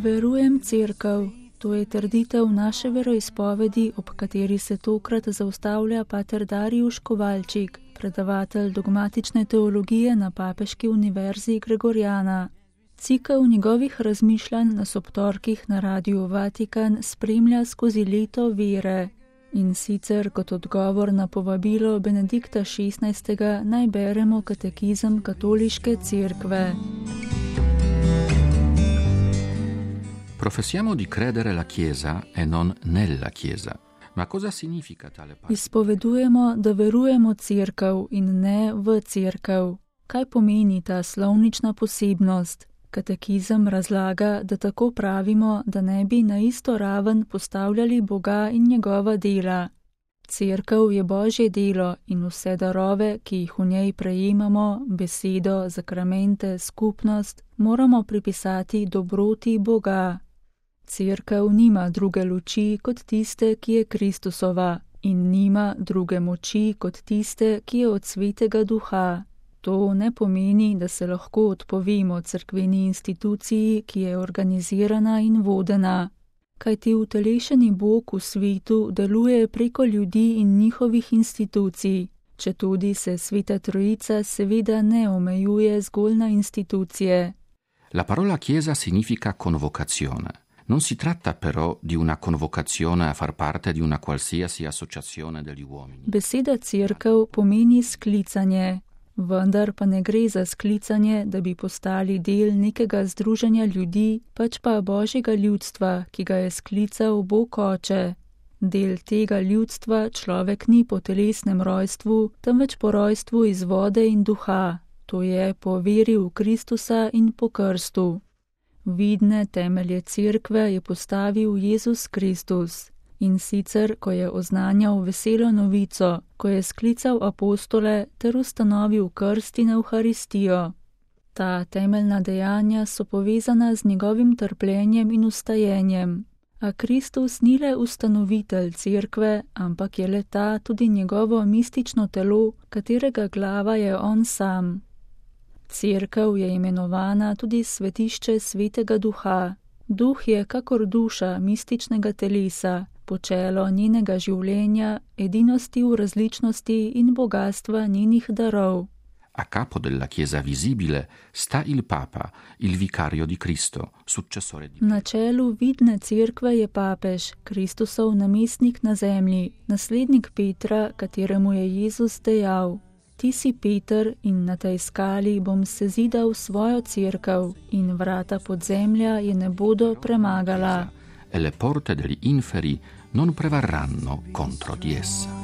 Verujem cerkev. To je trditev naše veroizpovedi, ob kateri se tokrat zaustavlja pater Darijuš Kovalčik, predavatelj dogmatične teologije na Papeški univerzi Gregoriana. Cikel njegovih razmišljanj nas ob torkih na Radiu Vatikan spremlja skozi leto vere. In sicer kot odgovor na povabilo Benedikta XVI. Naj beremo katekizem katoliške cerkve. Professiamo di credere la Chiesa e non nella Chiesa. Ma cosa significa tale parola? Izpovedujemo, da verujemo cerkev in ne v cerkev. Kaj pomeni ta slovnična posebnost? Katekizem razlaga, da tako pravimo, da ne bi na isto raven postavljali Boga in njegova dela. Cerkev je Božje delo in vse darove, ki jih v njej prejemamo, besedo, zakramente, skupnost, moramo pripisati dobroti Boga. Cerkev nima druge luči kot tiste, ki je Kristusova, in nima druge moči kot tiste, ki je od Svetega Duha. To ne pomeni, da se lahko odpovemo cerkveni instituciji, ki je organizirana in vodena. Kajti utelešeni Bog v svetu deluje preko ljudi in njihovih institucij, četudi se Sveta Trojica seveda ne omejuje zgolj na institucije. La parola Chiesa significa convocazione. Non si tratta però di una convocazione a far parte di una qualsiasi associazione degli uomini. Beseda cerkev pomeni sklicanje, vendar pa ne gre za sklicanje, da bi postali del nekega združenja ljudi, pač pa Božjega ljudstva, ki ga je sklical Bog Oče. Del tega ljudstva človek ni po telesnem rojstvu, temveč po rojstvu iz vode in duha, to je po veri v Kristusa in po krstu. Vidne temelje cerkve je postavil Jezus Kristus. In sicer, ko je oznanjal veselo novico, ko je sklical apostole ter ustanovil krst in Evharistijo. Ta temeljna dejanja so povezana z njegovim trpljenjem in ustajenjem. A Kristus ni le ustanovitelj cerkve, ampak je le ta tudi njegovo mistično telo, katerega glava je on sam. Cerkev je imenovana tudi svetišče Svetega Duha. Duh je kakor duša mističnega telesa, počelo njenega življenja, edinosti v različnosti in bogatstva njenih darov. A capo della Chiesa visibile sta il Papa, il vicario di Cristo, successore di Pietro. Na čelu vidne cerkve je papež, Kristusov namestnik na zemlji, naslednik Petra, kateremu je Jezus dejal: Ti si Peter in na tej skali bom sezidal svojo cerkev in vrata podzemlja je ne bodo premagala. E le porte degli inferi non prevarranno contro di essa.